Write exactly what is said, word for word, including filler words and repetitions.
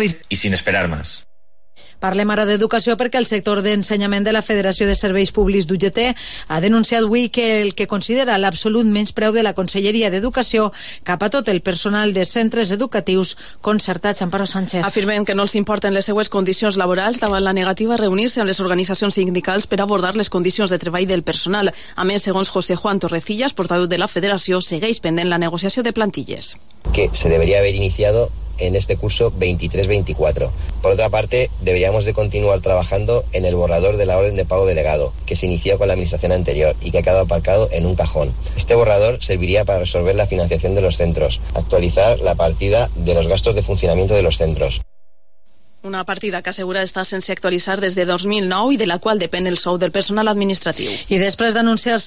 y sin esperar más. Parlem ara d'educació perquè el sector d'ensenyament de la Federació de Serveis Públics d'U G T ha denunciat avui que el que considera l'absolut menyspreu de la Conselleria d'Educació cap a tot el personal de centres educatius concertats. Amparo Sánchez. Afirmen que no els importen les seues condicions laborals davant la negativa a reunir-se amb les organitzacions sindicals per abordar les condicions de treball del personal. A més, segons José Juan Torrecillas, portaveu de la Federació, segueix pendent la negociació de plantilles. Que se debería haber iniciado en este curso veintitrés veinticuatro. Por otra parte, deberíamos de continuar trabajando en el borrador de la orden de pago delegado, que se inició con la administración anterior y que ha quedado aparcado en un cajón. Este borrador serviría para resolver la financiación de los centros, actualizar la partida de los gastos de funcionamiento de los centros. Una partida que assegura estar sense actualitzar des de dos mil nou i de la qual depèn el sou del personal administratiu. I després d'anunciar-se